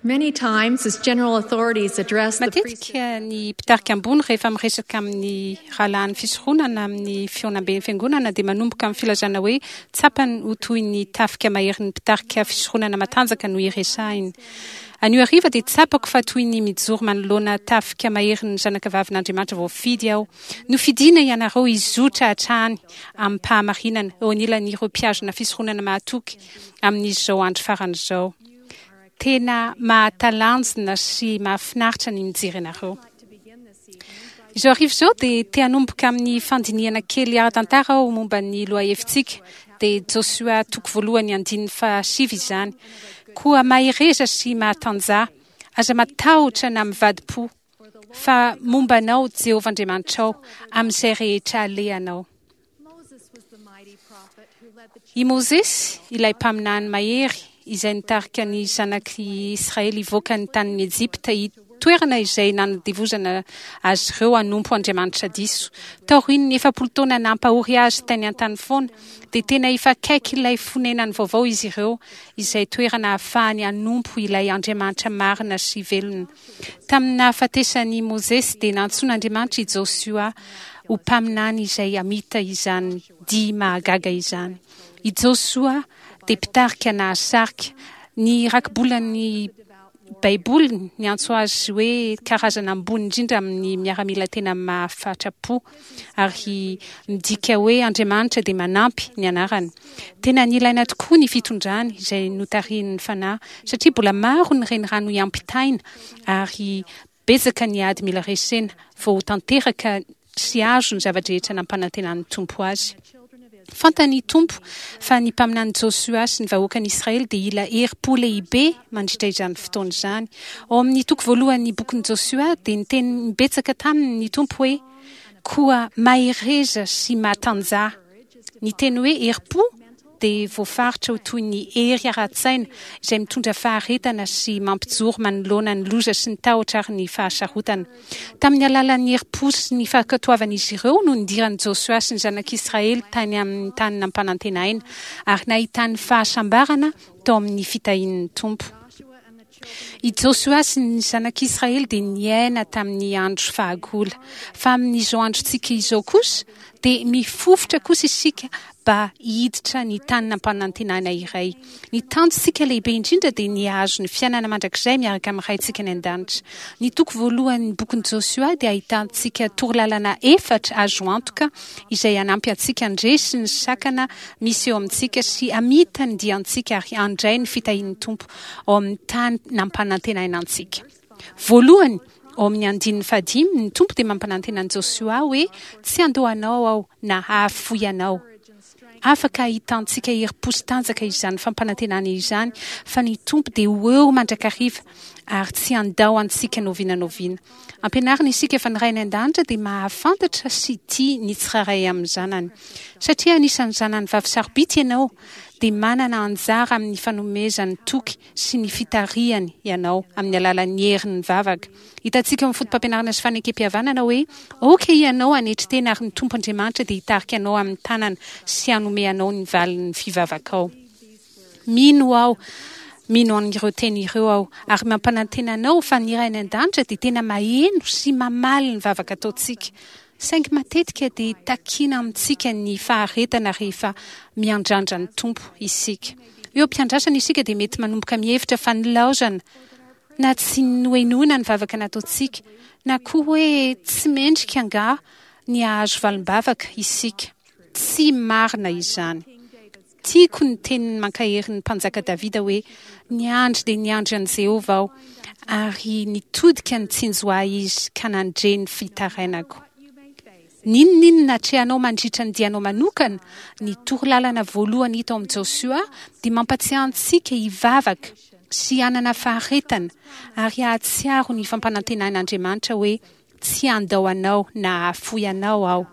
Many times, as general authorities address the Matetika ny mpitarika ambony rehefa miresaka amin'ny rahalahin'ny fisoronana amin'ny fihaonamben'ny fiangonana dia manomboka amin'ny filazana hoe tsapany ho toy ny tafika maherin'ny mpitarika fisoronana matanjaka no iresahiny. Anio hariva dia tsapako fa toy ny mijoro manoloana tafika maherin'ny zanakavavin'Andriamanitra voafidy aho. Nofidina ianareo hizotra hatrany amim-pahamarinana eo anilan'ireo mpihazona fisoronana mahatoky amin'izao andro farany izao. Tena mahatalanjona sy mahafinaritra ny mijery anareo. Izao hariva izao dia te hanomboka amin'ny fandinihana kely ara-tantara aho momba ny lohahevitsika, dia Josoa toko voalohany andininy fahasivy izany. Koa mahereza sy mahatanjaha, aza matahotra na mivadi-po, fa momba anao Jehovah Andriamanitrao amin'izay rehetra alehanao. I Mosesy, ilay mpaminany mahery izay nitarika ny zanak'i Israely hivoaka ny tanin'i Ejipta, toerana izay nanadevozana azy ireo hanompo andriamanitra diso. Taorian'ny 40 taona nampahory azy tany an-tany foana, dia tena efa akaiky ilay fonenany vaovao izy ireo, izay toerana ahafahany hanompo ilay Andriamanitra marina sy velona. Tamin'ny nahafatesan'i Mosesy dia nantsoin'Andriamanitra i Josoa ho mpaminany izay hamita izany dihy mahagaga izany. I Josoa dia mpitarika nahasarika. Ny rakibolan'ny Baiboly niantso azy hoe karazana ambony indrindra amin'ny miaramila tena mahafatra-po, ary midika hoe Andriamanitra dia manampy ny anarany. Tena nilaina tokoa ny fitondrany izay notarihin'ny Fanahy, satria mbola maro ny renirano hiampitaina ary betsaka ny ady mila resena vao ho tanteraka sy azo ny zava-drehetra nampanantenan'ny Tompo azy. Fantany Tompo fa ny mpaminany Josoa sy ny vahoakan'i Israely dia hila herim-po lehibe mandritra izany fotoana izany. Ao amin'ny toko voalohan'ny bokin'i Josoa dia niteny imbetsaka taminy ny Tompo hoe, Koa mahereza sy matanjaha. Ny teny hoe herim-po dia voafaritra ho toy ny hery ara-tsaina izay mitondra faharetana sy mampijoro manoloana ny loza sy ny tahotra ary ny fahasarotana. Tamin'ny alalan'ny herim-po sy ny fankatoavan'izy ireo no nidiran'i Josoa sy ny zanak'Israely tany amin'ny tany nampanantenaina ary nahitany fahasambarana tao amin'ny fitahian'ny Tompo. I Josoa sy ny zanak'Israely dia niaina tamin'ny andro fahagola. Fa amin'izao androntsika izao kosa, dia mifofotra kosa isika mba hiditra ny tany nampanantenana iray. Ny tanjontsika lehibe indrindra dia ny hahazo ny fiainana mandrakizay miaraka amin'ny Raintsika any An-danitra. Ny toko voalohan'ny bokin'i Josoa dia ahitantsika torolalana efatra azo antoka izay hanampy antsika handresy ny sakana misy eo amintsika sy hamita ny diantsika ary handray ny fitahian'ny Tompo ao amin'ny tany nampanantenaina antsika. Voalohany, ao amin'ny andininy fahadimy, ny Tompo dia mampanantena an'i Josoa hoe, Tsy handao anao Aho na hahafoy anao. Afaka ahitantsika herim-po sy tanjaka izany fampanantenana izany fa ny Tompo dia ho eo mandrakariva ary tsy handao antsika n'oviana n'oviana. Ampianarina isika fa ny Ray any An-danitra dia mahafantatra sy tia ny tsirairay amin'ny zanany. Satria anisan'ny zanany vavy sarobidy ianao, dia manana anjara amin'ny fanomezany toky sy ny fitarihany ianao amin'ny alalan'ny herin'ny vavaka. Hitantsika ao amin'ny Fotopampianarana sy Fanekempihavanana hoe aoka ianao hanetry tena ary ny Tompo Andriamanitra dia hitarika anao amin'ny tanana sy hanome anao ny valin'ny fivavakao. Mino aho, mino an'ireo teny ireo aho, ary mampanantena anao fa ny Ray any An-danitra dia tena maheno sy mamaly ny vavaka ataontsika. Saingy matetika dia takiana amintsika ny faharetana rehefa miandrandra ny Tompo isika. Eo am-piandrasana isika dia mety manomboka mihevitra fa nilaozana na tsy nohenoina ny vavaka nataontsika, na koa hoe tsy mendrika angaha ny hahazo valim-bavaka isika. Tsy marina izany. Tiako ny teniny mankahery ny Mpanjaka Davida hoe, Niandry dia niandry an'i Jehovah aho, ary nitodika nitsinjo ahy izy ka nandre ny fitarainako. N'inon'inona atrehanao mandritra ny dianao manokana, ny torolalana voalohany hita ao amin'i Josoa dia mampatsiahy antsika hivavaka sy hanana faharetana ary hahatsiaro ny fampanantenan'Andriamanitra hoe, Tsy handao anao na hahafoy anao aho.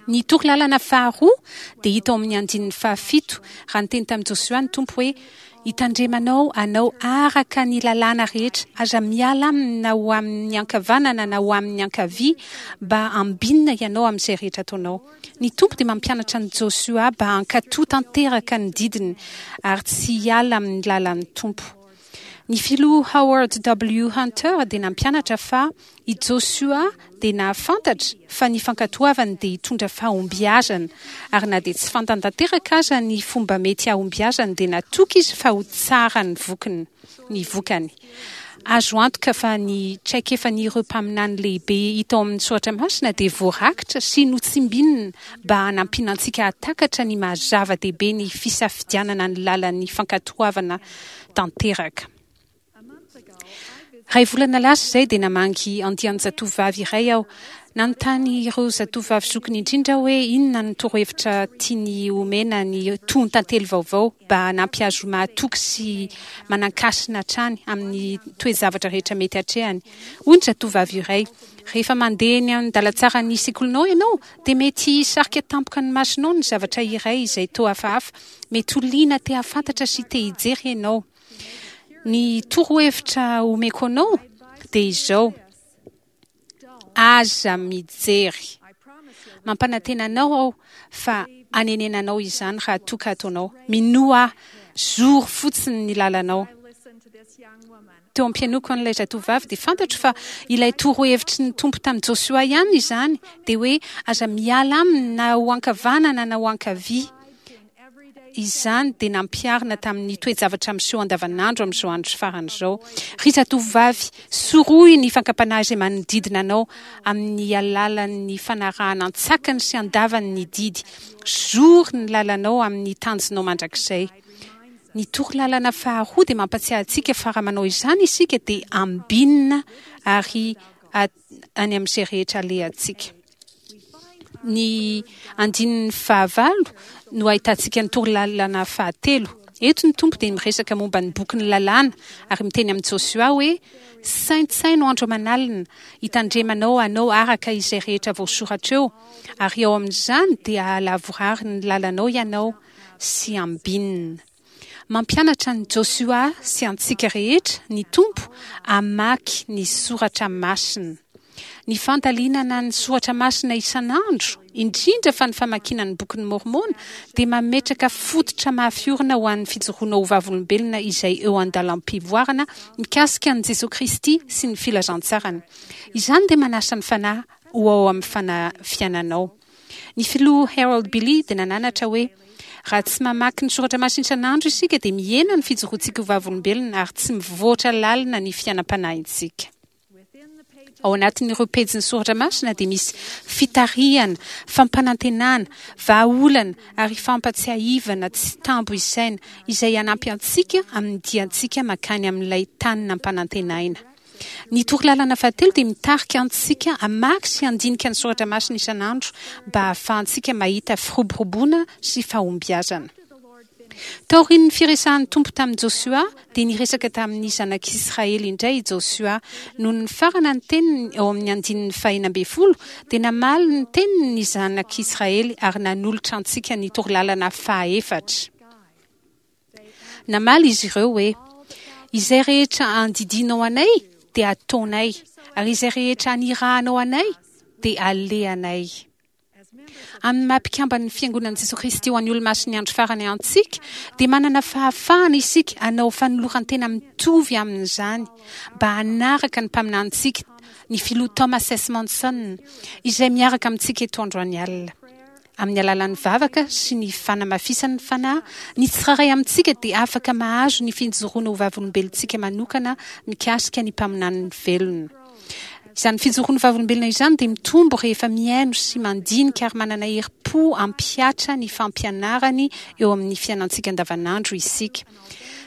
Ny torolalana faharoa dia hita ao amin'ny andininy fahafito, raha niteny tamin'i Josoa ny Tompo hoe, Hitandremanao anao araka ny lalàna rehetra, aza miala aminy na ho amin'ny ankavanana na ho amin'ny ankavia, mba hambinina ianao amin'izay rehetra ataonao. Ny Tompo dia mampianatra an'i Josoa mba hankatò tanteraka ny didiny ary tsy hiala amin'ny lalan'ny Tompo. Ny Filoha Howard W. Hunter dia nampianatra fa i Josoa dia nahafantatra fa ny fankatoavany dia hitondra fahombiazana, ary na dia tsy fantany tanteraka aza ny fomba mety hahombiazany dia natoky izy fa ho tsara ny vokiny, ny vokany. Azo antoka fa ny traikefan'ireo mpaminany lehibe hita ao amin'ny Soratra Masina dia voarakitra sy notsimbinina mba hanampiana antsika hahatakatra ny maha zava-dehibe ny fisafidianana ny lalan'ny fankatoavana tanteraka. Iray volana lasa izay dia namangy andian-jatovovavy iray aho. Nanontany ireo zatovovavy zokiny indrindra aho hoe inona no torohevitra tiany homena ny tohon-tantely vaovao mba hanampy azy ho mahatoky sy manan-kasina hatrany amin'ny toe-javatra rehetra mety hatrehany. Hoy ny zatovovavy iray, Rehefa mandeha eny an-dalantsaran'ny sekolinao ianao, dia mety hisarika tampoka ny masonao ny zavatra iray izay toa hafahafa. Mety ho liana te hahafantatra sy te hijery ianao. Ny torohevitra omeko anao dia izao, Aza mijery. Mampanantena anao aho fa hanenenanao izany raha toa ka ataonao. Minoa ahy, zoro fotsiny ny lalanao. Teo am-pihainoako an'ilay zatovovavy dia fantatro fa ilay torohevitry ny Tompo tamin'i Josoa ihany izany, dia hoe aza miala aminy na ho ankavanana na ho ankavia. Izany dia nampiharina tamin'ny toe-javatra miseho andavanandro amin'izao andro farany izao. Ry zatovovavy, sorohy ny fankam-panahy izay manodidina anao amin'ny alalan'ny fanarahana an-tsakany sy an-davany ny didy. Zory ny lalanao amin'ny tanjonao mandrakizay. Ny torolalana faharoa dia mampatsiahy antsika fa raha manao izany isika dia ambinina ary any amin'izay rehetra alehantsika. Ny andininy fahavalo no ahitantsika ny torolalana fahatelo. Eto ny Tompo dia miresaka momba ny bokin'ny lalàna ary miteny amin'i Josoa hoe, Saintsaino andro aman'alina, hitandremanao hanao araka izay rehetra voasoratra eo, ary ao amin'izany dia hahalavorary ny lalanao ianao sy ambinina. Mampianatra an'i Josoa sy antsika rehetra ny Tompo hamaky ny soratra masina. Ny fandalinana ny soratra masina isan'andro, indrindra fa ny famakiana ny Bokin'i Môrmôna, dia mametraka fototra mafy orina ho an'ny fijoroana ho vavolombelona izay eo an-dalam-pivoarana mikasika an'i Jesoa Kristy sy ny filazantsarany. Izany dia manasa ny Fanahy ho ao amin'ny fanahy fiainanao. Ny filoha Harold Billy dia nananatra hoe, Raha tsy mamaky ny soratra masina isan'andro isika dia mihena ny fijoroantsika ho vavolombelona ary tsy mivoatra lalina ny fiainam-panahintsika. Ao anatin'ireo pejin'ny soratra masina dia misy fitarihana, fampanantenana, vahaolana ary fampatsiahivana tsy tambo isaina izay hanampy antsika amin'ny diantsika mankany amin'ilay tany nampanantenaina. Ny torolalana fahatelo dia mitarika antsika hamaky sy handinika ny soratra masina isan'andro mba hahafahantsika mahita firoboroboana sy fahombiazana. Taorian'ny firesahan'ny Tompo tamin'i Josoa dia niresaka tamin'ny zanak'Israely indray i Josoa. Nony nifarana ny teniny ao amin'ny andininy faha-16 dia namaly ny teniny ny zanak'Israely ary nanolotra antsika ny torolalana fahaefatra. Namaly izy ireo hoe, Izay rehetra andidianao anay dia hataonay, ary izay rehetra anirahanao anay dia alehanay. Amin'ny maha mpikamban'ny Fiangonan'i Jesoa Kristy ho an'ny Olomasin'ny Andro Farany antsika, dia manana fahafahana isika hanao fanoloran-tena mitovy amin'izany mba hanaraka ny mpaminanintsika, ny Filoha Thomas S. Monson, izay miaraka amintsika eto androany alina. Amin'ny alalan'ny vavaka sy ny fanamafisan'ny Fanahy, ny tsirairay amintsika dia afaka mahazo ny fijoroana ho vavolombelontsika manokana mikasika ny mpaminaniny velona. Izany fijoroana ho vavolombelona izany dia mitombo rehefa mihaino sy mandinika ary manana herim-po hampihatra ny fampianarany eo amin'ny fiainantsika andavanandro isika.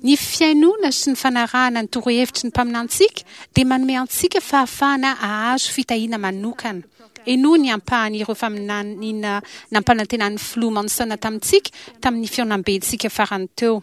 Ny fihainoana sy ny fanarahana ny torohevitry ny mpaminantsika dia manome antsika fahafahana hahazo fitahiana manokana. Henoy ny ampahan'ireo faminaniana nampanantenan'ny Filoha Monson tamintsika tamin'ny fihaonambentsika farany teo.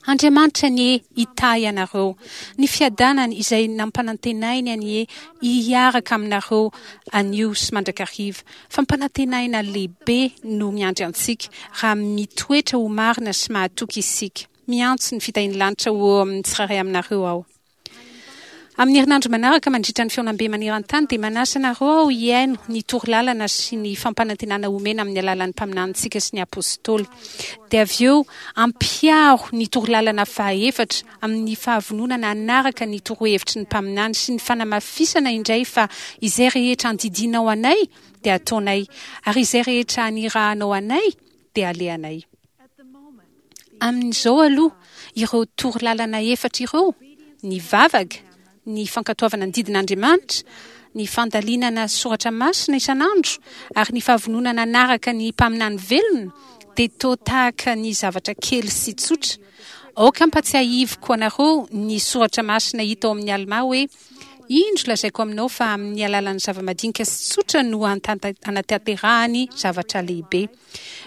Andriamanitra anie hitahy anareo. Ny fiadanany izay nampanantenainy anie hiaraka aminareo anio sy mandrakariva. Fampanantenaina lehibe no miandry antsika raha mitoetra ho marina sy mahatoky isika. Miantso ny fitahian'ny lanitra ho eo amin'ny tsirairay aminareo aho. Amin'ny herinandro manaraka, mandritra ny fihaonambe maneran-tany, dia manasa anareo aho hihaino ny torolalana sy ny fampanantenana omena amin'ny alalan'ny mpaminanintsika sy ny apostoly. Dia avy eo, ampiharo ny torolalana fahaefatra amin'ny fahavononana hanaraka ny torohevitry ny mpaminany sy ny fanamafisana indray fa izay rehetra andidianao anay dia ataonay, ary izay rehetra anirahanao anay dia alehanay. Amin'izao aloha, ireo torolalana efatra ireo, ny vavaka, ny fankatoavana ny didin'Andriamanitra, ny fandalinana soratra masina isan'andro, ary ny fahavononana hanaraka ny mpaminany velona, dia toa tahaka ny zavatra kely sy tsotra. Aoka hampatsiahiviko anareo ny soratra masina hita ao amin'ny Almà hoe, Indro, lazaiko aminao fa amin'ny alalan'ny zava-madinika sy tsotra no hanatanterahany zavatra lehibe.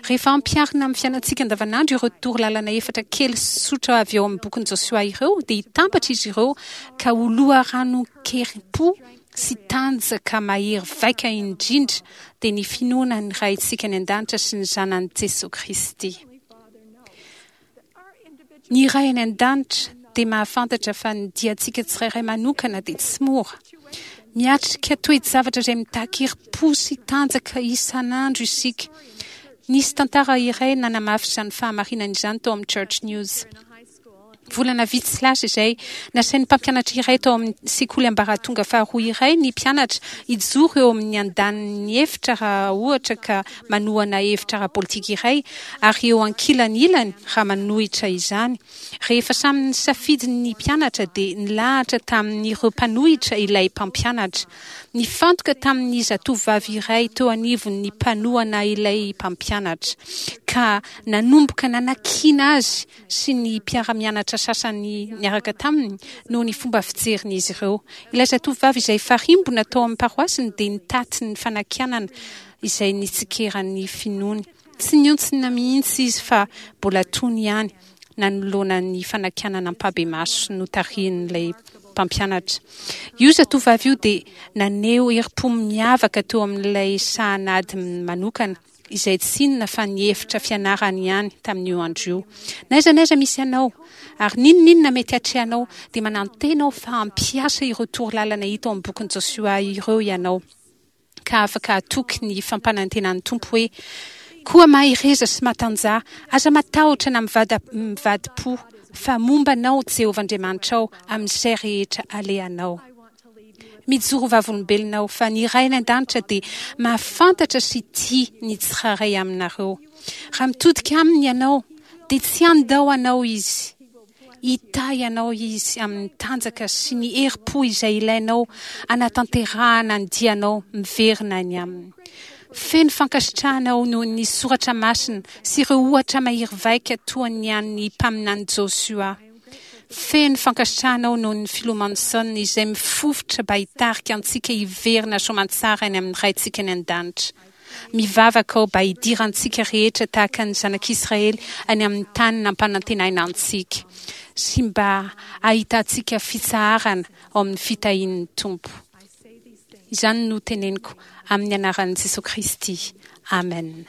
Rehefa ampiharina amin'ny fiainantsika andavanandro ireo torolalana efatra kely sy tsotra avy ao amin'ny bokin'i Josoa ireo, dia hitambatra izy ireo ka ho loharanon-kerim-po sy tanjaka mahery vaika indrindra, dia ny finoana ny Raintsika any An-danitra sy ny Zanany Jesoa Kristy. Ny Ray any An-danitra dia mahafantatra fa ny diantsika tsirairay manokana dia tsy mora. Miatrika toe-javatra izay mitaky herim-po sy tanjaka isan'andro isika. Nisy tantara iray nanamafy izany fahamarinana izany tao amin'ny Church News. Volana vitsy lasa izay, nasain'ny mpampianatra iray tao amin'ny sekoly ambaratonga faharoa iray ny mpianatra hijoro eo amin'ny andanin'ny efitra raha ohatra ka manohana hevitra ara-politika iray ary eo ankilany ilany raha manohitra izany. Rehefa samy nisafidy ny mpianatra dia nilahatra tamin'ireo mpanohitra ilay mpampianatra. Nifantoka tamin'ny zatovovavy iray teo anivon'ny mpanohana ilay mpampianatra, ka nanomboka nanakiana azy sy ny mpiara-mianatra sasany niaraka taminy noho ny fomba fijerin'izy ireo. Ilay zatovovavy izay farimbona tao amin'ny paroasiny dia nitaty ny fanakianana izay nitsikeran'ny finoany. Tsy nihontsina mihitsy izy fa mbola tony ihany nanoloana ny fanakianana ampahibemaso notarihin'ilay mpampianatra. Io zatovovavy io dia naneho herim-po miavaka teo amin'ilay sahan'ady manokana, izay tsy inona fa ny efitra fianarany ihany tamin'io andro io. Na aiza na aiza misy anao, ary n'inon'inona mety hatrehanao, dia manantena aho fa hampiasa ireo torolalana hita ao amin'ny bokin'i Josoa ireo ianao. ka afaka hatoky ny fampanantenan'ny Tompo hoe, Koa mahereza sy matanjaha, aza matahotra na mivadi-po, fa momba anao Jehovah Andriamanitrao amin'izay rehetra alehanao. Mijoro ho vavolombelona aho fa ny Ray any An-danitra dia mahafantatra sy tia ny tsirairay aminareo. Raha mitodika Aminy ianao, dia tsy handao anao Izy. Hitahy anao Izy amin'ny tanjaka sy ny herim-po izay ilainao hanatanterahana ny dianao miverina any Aminy. Feno fankasitrahana aho noho ny soratra masina sy ireo ohatra mahery vaika toa ny an'ny mpaminany Josoa. Feno fankasitrahana aho noho ny Filoha Monson izay mifofotra mba hitarika antsika hiverina soamantsara any amin'ny Raintsika any An-danitra. Mivavaka aho mba hidirantsika rehetra tahaka ny zanak'Israely any amin'ny tany nampanantenaina antsika, sy mba hahitantsika fitsaharana ao amin'ny fitahian'ny Tompo. Izany no teneniko amin'ny anaran'i Jesoa Kristy. Amen.